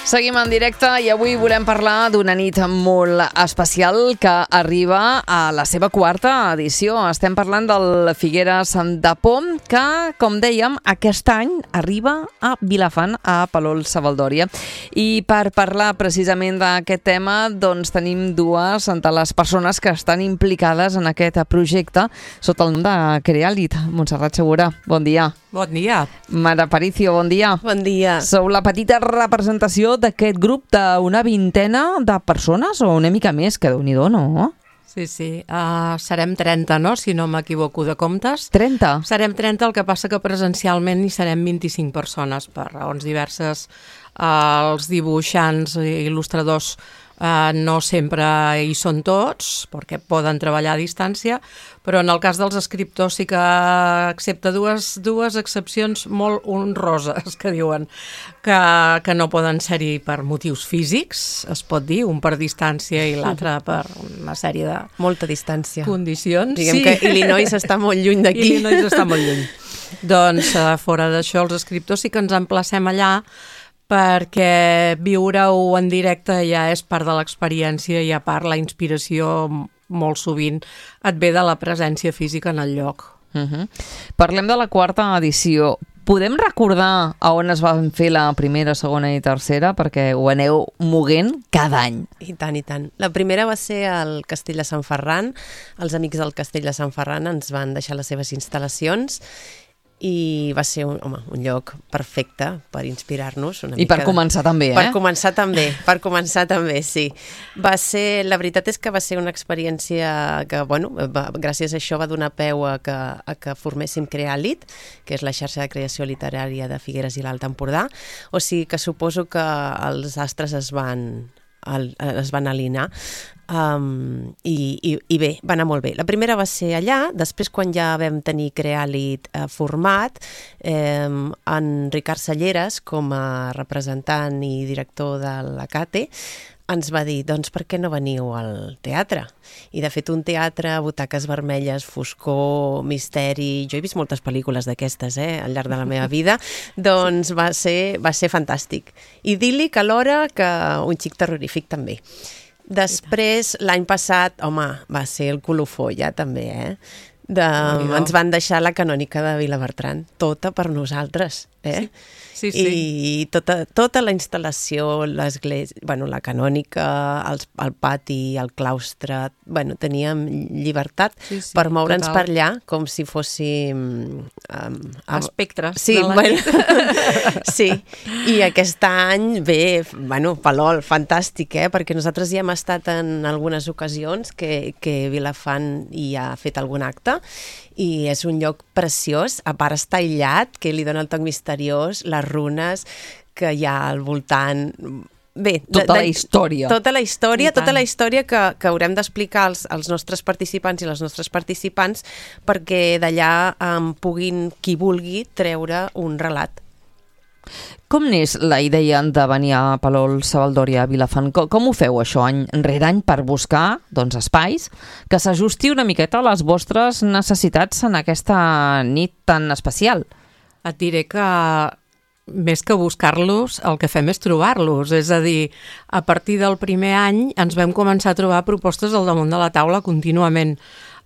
Seguim en directe i avui volem parlar d'una nit molt especial que arriba a la seva quarta edició. Estem parlant del Figueres de Pom, que, com dèiem, aquest any arriba a Vilafant, a Palol Savaldòria. I per parlar precisament d'aquest tema, doncs tenim dues de les persones que estan implicades en aquest projecte sota el nom de Crealit. Montserrat Segura, bon dia. Bon dia. Mare Aparicio, bon dia. Bon dia. Sou la petita representació d'aquest grup d'una vintena de persones o una mica més, que Déu-n'hi-do, no? Sí. Serem 30, no? Si no m'equivoco de comptes. 30? Serem 30, el que passa que presencialment hi serem 25 persones per raons diverses. Els dibuixants i il·lustradors no sempre hi són tots, perquè poden treballar a distància, però en el cas dels escriptors sí que, excepte dues excepcions molt honroses, que diuen que no poden ser-hi per motius físics, es pot dir, un per distància i l'altre per una sèrie de molta distància. Condicions. Diguem que Illinois està molt lluny d'aquí. Illinois està molt lluny. Doncs fora d'això, els escriptors sí que ens emplacem allà, perquè viure-ho en directe ja és part de l'experiència i a part la inspiració molt sovint et ve de la presència física en el lloc. Parlem de la quarta edició. Podem recordar a on es van fer la primera, segona i tercera? Perquè ho aneu moguent cada any. I tant, i tant. La primera va ser al Castell de Sant Ferran. Els amics del Castell de Sant Ferran ens van deixar les seves instal·lacions i va ser un lloc perfecte per inspirar-nos. I per començar també, Per començar també, sí. La veritat és que va ser una experiència que, gràcies a això va donar peu a que forméssim Crealit, que és la xarxa de creació literària de Figueres i l'Alt Empordà. O sigui que suposo que els astres es van alinear. I bé, va anar molt bé. La primera va ser allà, després quan ja vam tenir Crealit format, en Ricard Salleres, com a representant i director de la CATE, ens va dir, doncs per què no veniu al teatre? I de fet un teatre, butaques vermelles, foscor, misteri, jo he vist moltes pel·lícules d'aquestes al llarg de la meva vida, doncs va ser fantàstic. Idíl·lic alhora que un xic terrorífic també. Després, l'any passat, va ser el colofó ja també, ens van deixar la canònica de Vilabertran, tota per nosaltres, Sí. I tota la instal·lació, l'església, la canònica, el pati, el claustre, teníem llibertat per moure'ns per allà com si fóssim espectres. Sí, sí. I aquest any, bé, Palol, fantàstic, perquè nosaltres ja hem estat en algunes ocasions que Vilafant hi ha fet algun acte i és un lloc preciós, a part està aïllat, que li dona el toc misteriós, les runes que hi ha al voltant. Bé, tota la història. Tota la història que haurem d'explicar als nostres participants i les nostres participants perquè d'allà puguin, qui vulgui, treure un relat. Com n'és la idea de venir a Palol Savaldòria, a Vilafant? Com ho feu això any rere any per buscar espais que s'ajusti una miqueta a les vostres necessitats en aquesta nit tan especial? Et diré que més que buscar-los, el que fem és trobar-los. És a dir, a partir del primer any ens vam començar a trobar propostes al damunt de la taula contínuament.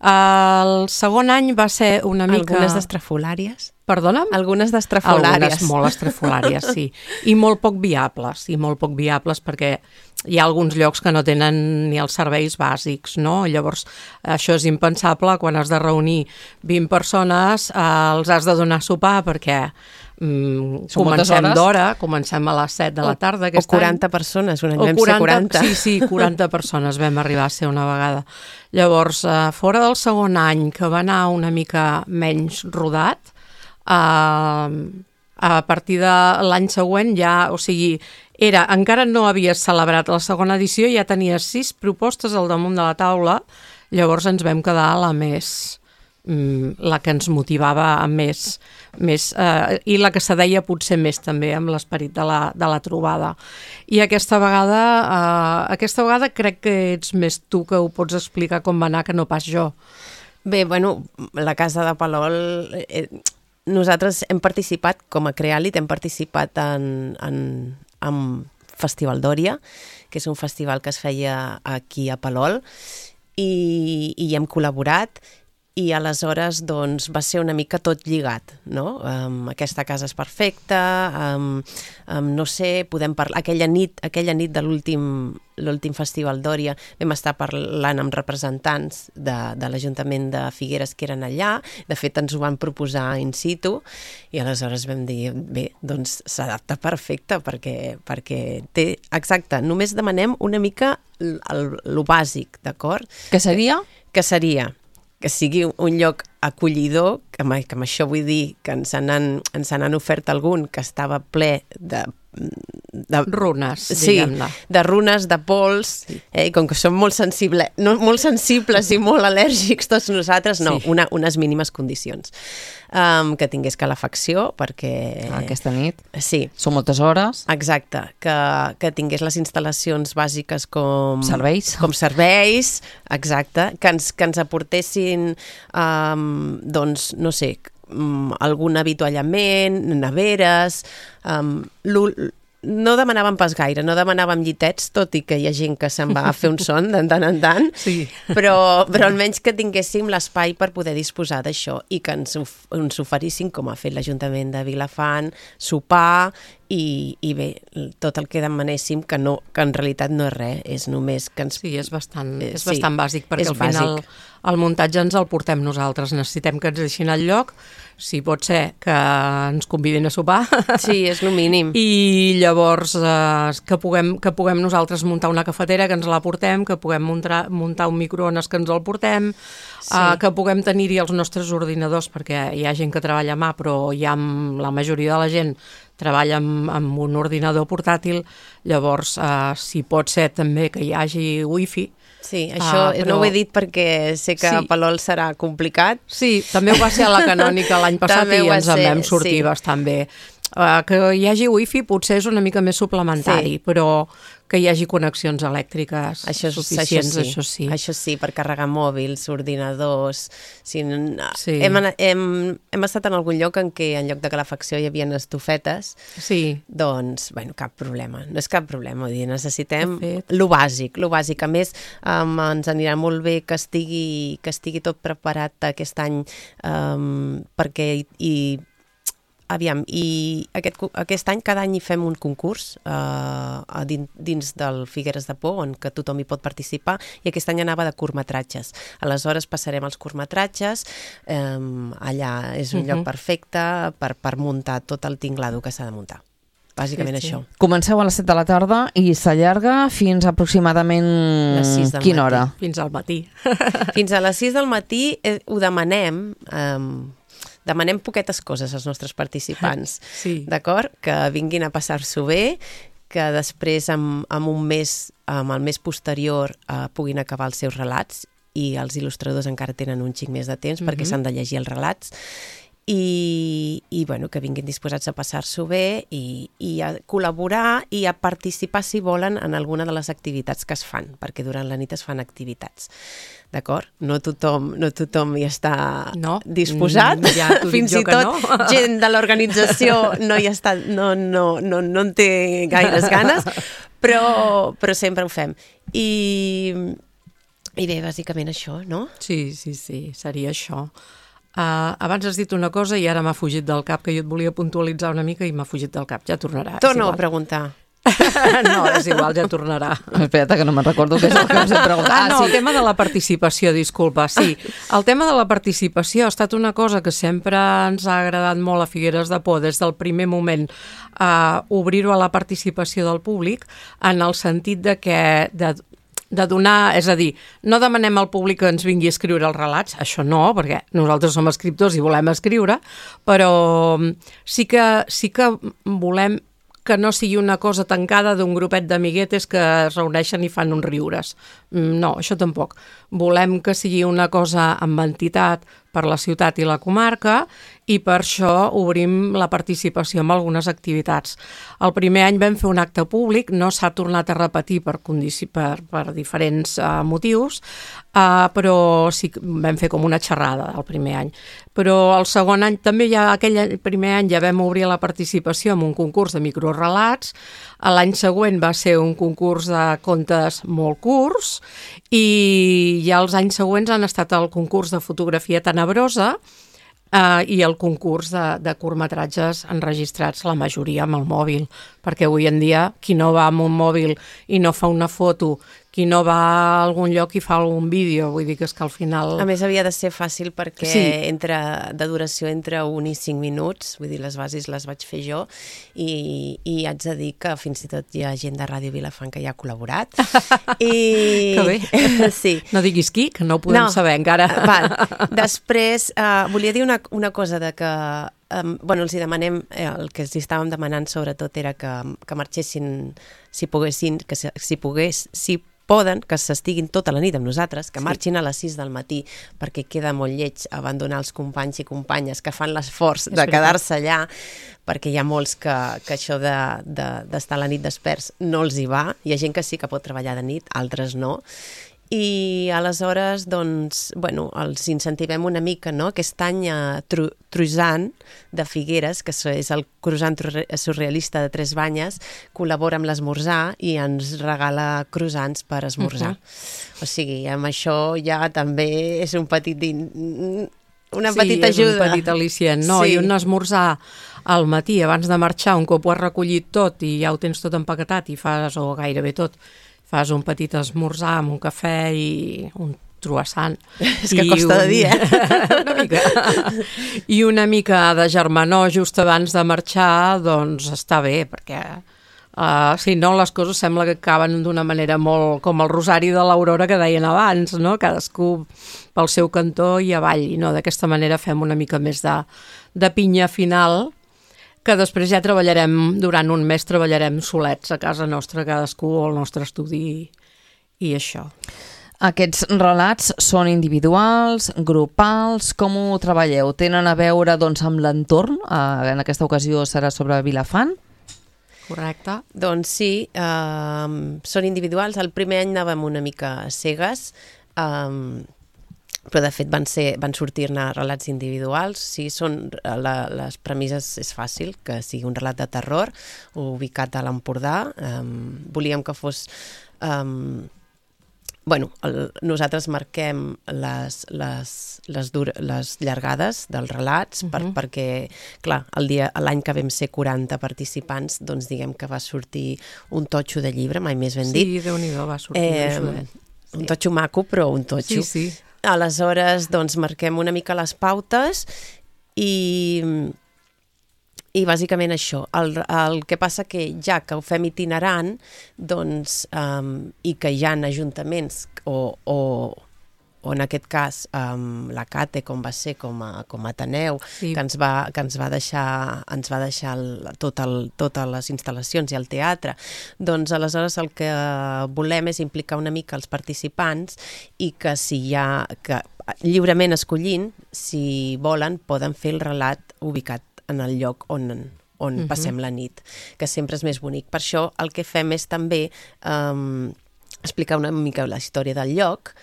El segon any va ser una mica... Algunes d'estrafolàries? Perdona'm? Algunes d'estrafolàries. Algunes molt estrafolàries, sí. I molt poc viables, perquè hi ha alguns llocs que no tenen ni els serveis bàsics, no? Llavors, això és impensable quan has de reunir 20 persones, els has de donar sopar perquè comencem d'hora, comencem a les 7 de la tarda o 40 persones, un any vam ser 40. Sí, 40 persones vam arribar a ser una vegada. Llavors, fora del segon any, que va anar una mica menys rodat, a partir de l'any següent ja, encara no havies celebrat la segona edició, ja tenies 6 propostes al damunt de la taula, llavors ens vam quedar la que ens motivava més i la que se deia potser més també amb l'esperit de la trobada. I aquesta vegada crec que ets més tu que ho pots explicar com va anar que no pas jo. Bé, la Casa de Palol nosaltres hem participat, com a Crealit, hem participat en Festival Dòria, que és un festival que es feia aquí a Palol, i hi hem col·laborat, i aleshores doncs, va ser una mica tot lligat, no? Aquesta casa és perfecta, no sé, podem parlar... Aquella nit de l'últim Festival Dòria vam estar parlant amb representants de l'Ajuntament de Figueres que eren allà, de fet ens ho van proposar in situ, i aleshores vam dir, bé, doncs s'adapta perfecte, perquè té... Exacte, només demanem una mica lo bàsic, d'acord? Què seria? Que seria que sigui un lloc acollidor, que amb això vull dir que ens n'han ofert algun que estava ple de runes, sí, diguem-ne. De runes, de pols, i com que som molt sensibles i molt al·lèrgics tots nosaltres, no, sí. Unes mínimes condicions. Que tingués calefacció, perquè... Aquesta nit. Sí. Són moltes hores. Exacte, que tingués les instal·lacions bàsiques com... Serveis, exacte, que ens aportessin, doncs, no sé, algun avituallament, neveres, no demanàvem pas gaire, no demanàvem llitets, tot i que hi ha gent que se'n va a fer un son de tant en tant, sí. però almenys que tinguéssim l'espai per poder disposar d'això i que ens oferissin, com ha fet l'Ajuntament de Vilafant, sopar i bé, tot el que demanéssim, que en realitat no és res, és només que ens... Sí, és bastant bàsic, perquè al final bàsic. El muntatge ens el portem nosaltres, necessitem que ens deixin al lloc, si pot ser que ens convidin a sopar. Sí, és el mínim. I llavors que puguem nosaltres muntar una cafetera, que ens la portem, que puguem muntar un microones, que ens el portem, sí. Que puguem tenir-hi els nostres ordinadors, perquè hi ha gent que treballa a mà, però la majoria de la gent treballa amb un ordinador portàtil, llavors si pot ser també que hi hagi wifi. Sí, això no ho he dit perquè sé que a Palol serà complicat. Sí, també ho va ser a la Canònica l'any passat i ens en vam sortir bastant bé. Que hi hagi wifi potser és una mica més suplementari, però que hi hagi connexions elèctriques suficients, això sí. Això sí, per carregar mòbils, ordinadors... Sí. Hem estat en algun lloc en què en lloc de calefacció hi havia estufetes, sí. Doncs, bueno, cap problema. No és cap problema, vull dir, necessitem lo bàsic. A més, ens anirà molt bé que estigui tot preparat aquest any perquè aviam, i aquest any, cada any hi fem un concurs dins del Figueres de Por, on que tothom hi pot participar, i aquest any anava de curtmetratges. Aleshores passarem als curtmetratges, allà és un lloc perfecte per muntar tot el tinglado que s'ha de muntar. Bàsicament això. Comenceu a les 7 de la tarda i s'allarga fins aproximadament quina hora? Fins al matí. Fins a les 6 del matí ho demanem... Demanem poquetes coses als nostres participants, sí. D'acord? Que vinguin a passar-s'ho bé, que després amb el mes posterior puguin acabar els seus relats, i els il·lustradors encara tenen un xic més de temps perquè s'han de llegir els relats, i bueno, que vinguin disposats a passar-s'ho bé i a col·laborar i a participar, si volen, en alguna de les activitats que es fan, perquè durant la nit es fan activitats. D'acord? No tothom hi està disposat. Ja fins i tot gent de l'organització no hi està, no en té gaires ganes, però sempre ho fem. I bé, bàsicament això, no? Sí, seria això. Abans has dit una cosa i ara m'ha fugit del cap, que jo et volia puntualitzar una mica i m'ha fugit del cap. Ja tornarà. Torno a preguntar. No, és igual, ja tornarà. Espera't, que no me'n recordo què és el que us he preguntat. El tema de la participació, disculpa. Sí, el tema de la participació ha estat una cosa que sempre ens ha agradat molt a Figueres de Por, des del primer moment, obrir-ho a la participació del públic, en el sentit de donar, és a dir, no demanem al públic que ens vingui a escriure els relats, això no, perquè nosaltres som escriptors i volem escriure, però sí que volem que no sigui una cosa tancada d'un grupet d'amiguetes que es reuneixen i fan uns riures. No, això tampoc. Volem que sigui una cosa amb entitat, per la ciutat i la comarca, i per això obrim la participació en algunes activitats. El primer any vam fer un acte públic, no s'ha tornat a repetir per diferents motius, però sí que vam fer com una xerrada el primer any. Però el segon any, també aquell primer any ja vam obrir la participació en un concurs de microrelats, l'any següent va ser un concurs de contes molt curts, i ja els anys següents han estat el concurs de fotografia tenebrosa, i el concurs de curtmetratges enregistrats, la majoria amb el mòbil, perquè avui en dia qui no va amb un mòbil i no fa una foto, qui no va a algun lloc i fa algun vídeo, vull dir que és que al final... A més, havia de ser fàcil perquè de duració entre 1 i 5 minuts, vull dir, les bases les vaig fer jo, i haig de dir que fins i tot hi ha gent de Ràdio Vilafant que hi ha col·laborat. Que bé. Sí. No diguis qui, que no ho podem saber encara. Val. Després, volia dir una cosa de que els hi demanem, el que els estàvem demanant sobretot era que marxessin, si poden, que s'estiguin tota la nit amb nosaltres, que marxin a les 6 del matí, perquè queda molt lleig abandonar els companys i companyes que fan l'esforç de quedar-se allà, perquè hi ha molts que això d'estar a la nit desperts no els hi va. Hi ha gent que sí que pot treballar de nit, altres no. I aleshores, doncs, els incentivem una mica, no? Aquest any Truisant de Figueres, que és el croissant surrealista de 3 banyes, col·labora amb l'esmorzar i ens regala croissants per esmorzar. O sigui, amb això ja també és una petita ajuda. Un petit al·licient, no? I un esmorzar al matí, abans de marxar, un cop ho has recollit tot i ja ho tens tot empaquetat i fas, o gairebé tot, fas un petit esmorzar amb un cafè i un croissant. És que costa de dir, Una mica. I una mica de germanor just abans de marxar, doncs està bé, perquè si no les coses sembla que acaben d'una manera molt com el rosari de l'Aurora que deien abans, no? Cadascú pel seu cantó i avall. I no, d'aquesta manera fem una mica més de pinya final, que després ja treballarem, durant un mes treballarem solets a casa nostra, cadascú al nostre estudi i això. Aquests relats són individuals, grupals, com ho treballeu? Tenen a veure amb l'entorn? En aquesta ocasió serà sobre Vilafant? Correcte. Doncs sí, són individuals. El primer any anàvem una mica cegues, però de fet van sortir-ne relats individuals. Sí, les premisses és fàcil, que sigui un relat de terror ubicat a l'Empordà. Volíem que fos... nosaltres marquem les llargades dels relats perquè, clar, l'any que vam ser 40 participants, doncs diguem que va sortir un totxo de llibre, mai més ben dit. Sí, Déu-n'hi-do, va sortir un totxo maco, però un totxo. Sí. Aleshores, doncs, marquem una mica les pautes i bàsicament això. El que passa que ja que ho fem itinerant, doncs, i que hi ha ajuntaments o en aquest cas la CATE, com va ser com a Ateneu, que ens va deixar totes les instal·lacions i el teatre, doncs aleshores el que volem és implicar una mica els participants i que lliurement escollint, si volen, poden fer el relat ubicat en el lloc on passem la nit, que sempre és més bonic. Per això el que fem és també explicar una mica la història del lloc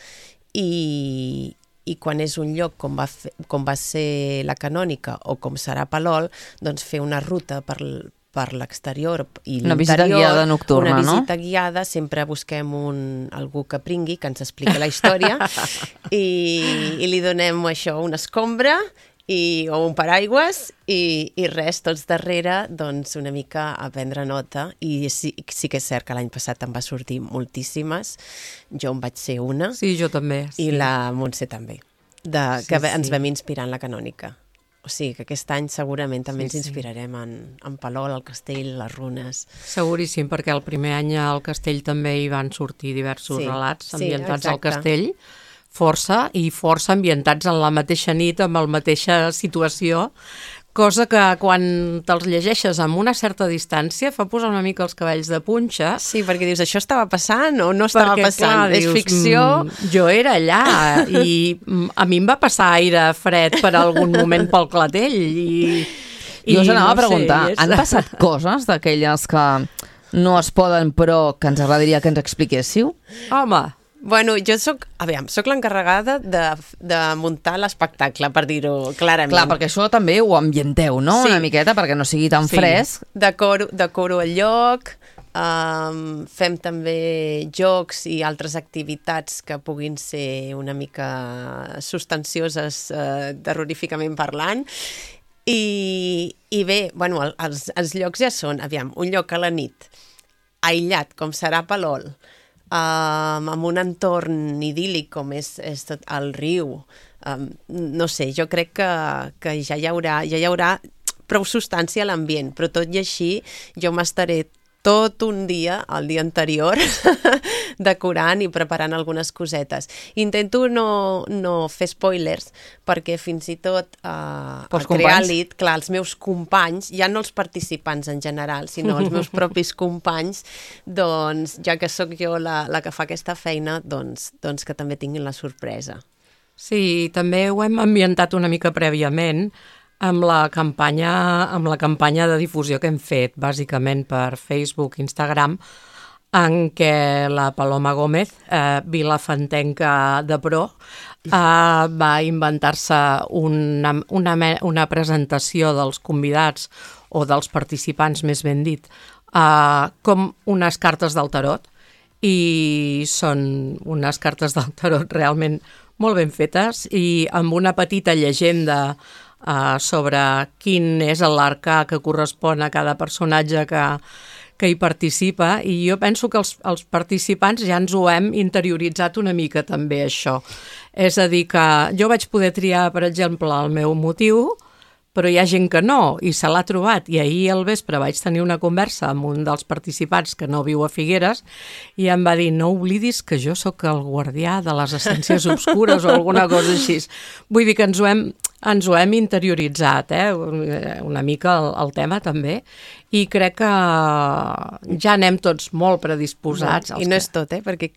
i quan és un lloc com va ser la Canònica o com serà Palol, doncs fer una ruta per l'exterior i l'interior. Una visita guiada nocturna, no? Una visita guiada, sempre busquem algú que pringui, que ens expliqui la història i li donem això, una escombra o un paraigües i res, tots darrere, doncs una mica a prendre nota. I sí que és cert que l'any passat em va sortir moltíssimes, jo en vaig ser una. Sí, jo també. Sí. I la Montse també, que ens vam inspirar en la Canònica. O sigui que aquest any segurament també ens inspirarem en Palol, el castell, les runes. Seguríssim, perquè el primer any al castell també hi van sortir diversos relats ambientats al castell, força ambientats en la mateixa nit, amb la mateixa situació, cosa que quan te'ls llegeixes amb una certa distància fa posar una mica els cabells de punxa. Sí, perquè dius, això estava passant o no estava perquè, passant? Clar, És dius, ficció? Jo era allà i a mi em va passar aire fred per algun moment pel clatell i jo us anava a preguntar, sé, han passat coses d'aquelles que no es poden però que ens agradaria que ens expliquéssiu? Home, Bueno, jo soc l'encarregada de muntar l'espectacle, per dir-ho clarament. Clar, perquè això també ho ambienteu, no? Sí. Una miqueta, perquè no sigui tan fresc. Decoro el lloc, fem també jocs i altres activitats que puguin ser una mica substancioses, terroríficament parlant. I bé, bueno, els llocs ja són, un lloc a la nit, aïllat, com serà Palol, amb un entorn idíl·lic com és tot el riu. No sé, jo crec que ja hi haurà prou substància a l'ambient, però tot i així jo m'estaré tot un dia, el dia anterior, decorant i preparant algunes cosetes. Intento no fer spoilers, perquè fins i tot a Crealit, clar, els meus companys, ja no els participants en general, sinó els meus propis companys, doncs, ja que sóc jo la que fa aquesta feina, doncs que també tinguin la sorpresa. Sí, també ho hem ambientat una mica prèviament, amb la campanya de difusió que hem fet, bàsicament per Facebook, Instagram, en què la Paloma Gómez, vilafantenca de pro, va inventar-se una presentació dels convidats o dels participants, més ben dit, com unes cartes del tarot, i són unes cartes del tarot realment molt ben fetes i amb una petita llegenda sobre quin és l'arcà que correspon a cada personatge que hi participa, i jo penso que els participants ja ens ho hem interioritzat una mica també, això. És a dir, que jo vaig poder triar, per exemple, el meu motiu, però hi ha gent que no, i se l'ha trobat. I ahir al vespre vaig tenir una conversa amb un dels participants que no viu a Figueres i em va dir, no oblidis que jo sóc el guardià de les essències obscures o alguna cosa així. Vull dir que ens ho hem interioritzat, una mica el tema també, i crec que ja anem tots molt predisposats. I no és tot, perquè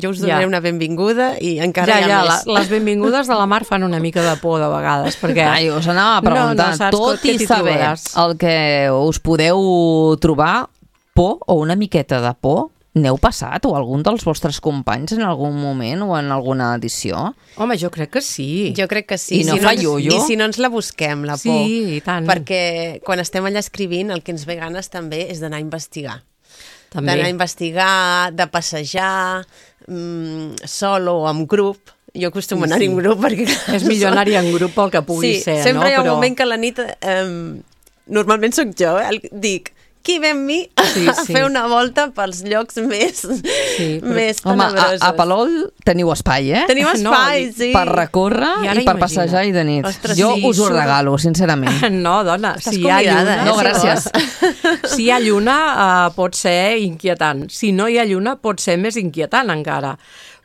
jo us donaré una benvinguda i encara hi ha més. Les benvingudes de la Mar fan una mica de por de vegades, perquè... Us anava a preguntar, tot i saber el que us podeu trobar, por o una miqueta de por, n'heu passat o algun dels vostres companys en algun moment o en alguna edició? Home, jo crec que sí. Jo crec que sí. I no fa ioio? I si no ens la busquem, la por. Sí, i tant. Perquè quan estem allà escrivint el que ens ve ganes també és d'anar a investigar. També. D'anar a investigar, de passejar, sol o amb grup. Jo acostumo a anar en grup perquè... És millor anar-hi en grup pel que pugui ser, no? Sí, sempre hi ha un moment que a la nit, normalment sóc jo, dic, qui ve amb mi a fer una volta pels llocs més tenebrosos. Home, a Palol teniu espai, Tenim espai, sí. Per recórrer i per passejar i de nit. Ostres, jo us ho regalo, sincerament. No, dona, estàs convidada, No, gràcies. Si hi ha lluna, pot ser inquietant. Si no hi ha lluna, pot ser més inquietant encara.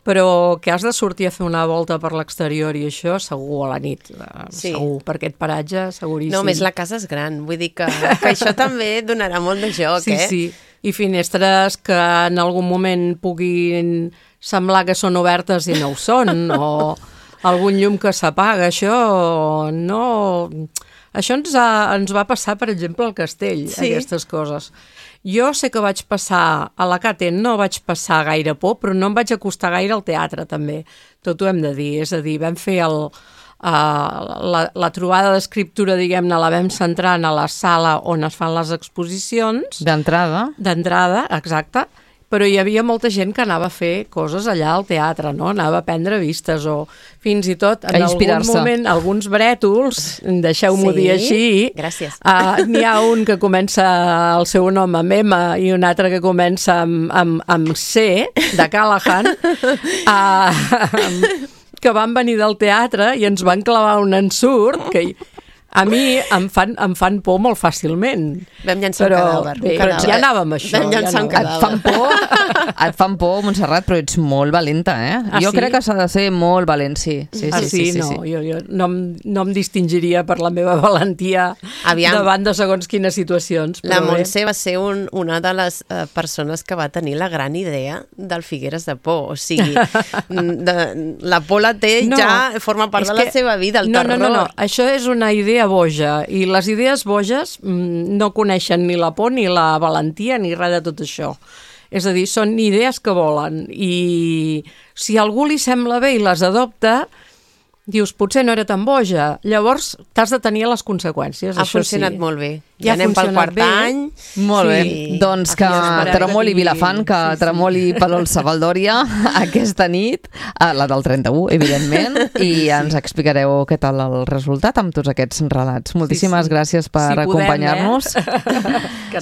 Però que has de sortir a fer una volta per l'exterior i això segur a la nit, segur, per aquest paratge seguríssim. No, més la casa és gran, vull dir que això també donarà molt de joc, Sí, i finestres que en algun moment puguin semblar que són obertes i no ho són, o algun llum que s'apaga, això no... Això ens va passar, per exemple, al castell, aquestes coses. Jo sé que vaig passar a la Cate, no vaig passar gaire por, però no em vaig acostar gaire al teatre, també. Tot ho hem de dir. És a dir, vam fer la trobada d'escriptura, diguem-ne, la vam centrar a la sala on es fan les exposicions. D'entrada. D'entrada, exacte. Però hi havia molta gent que anava a fer coses allà al teatre, no? Anava a prendre vistes o fins i tot en algun moment alguns brètols, deixeu-m'ho dir així. Gràcies. N'hi ha un que comença el seu nom amb M i un altre que comença amb C, de Callahan, que van venir del teatre i ens van clavar un ensurt que A mi em fan por molt fàcilment. Vam llançar un cadàver. Però ja anàvem a això. Vam llançar un cadàver. Et fan por, Montserrat, però ets molt valenta, eh? Jo crec que s'ha de ser molt valent, sí. Sí. Jo no em distingiria per la meva valentia davant de segons quines situacions. La Montse va ser una de les persones que va tenir la gran idea del Figueres de Por. O sigui, la por la té, ja forma part de la seva vida, el terror. No, això és una idea boja, i les idees boges no coneixen ni la por ni la valentia ni res de tot això. És a dir, són idees que volen, i si a algú li sembla bé i les adopta, dius, potser no era tan boja. Llavors t'has de tenir les conseqüències. Ha funcionat molt bé. Ja anem pel quart any. Molt bé. Doncs que tremoli Vilafant, que tremoli Palolsa Valdòria aquesta nit, la del 31, evidentment, i ens explicareu què tal el resultat amb tots aquests relats. Moltíssimes gràcies per acompanyar-nos.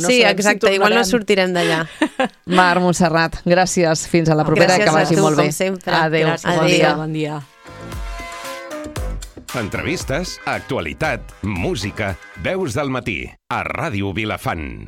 Sí, exacte, igual no sortirem d'allà. Mar, Montserrat, gràcies. Fins a la propera, que vagi molt bé. Gràcies a tu, com sempre. Adéu. Bon dia. Entrevistes, actualitat, música, veus del matí, a Ràdio Vilafant.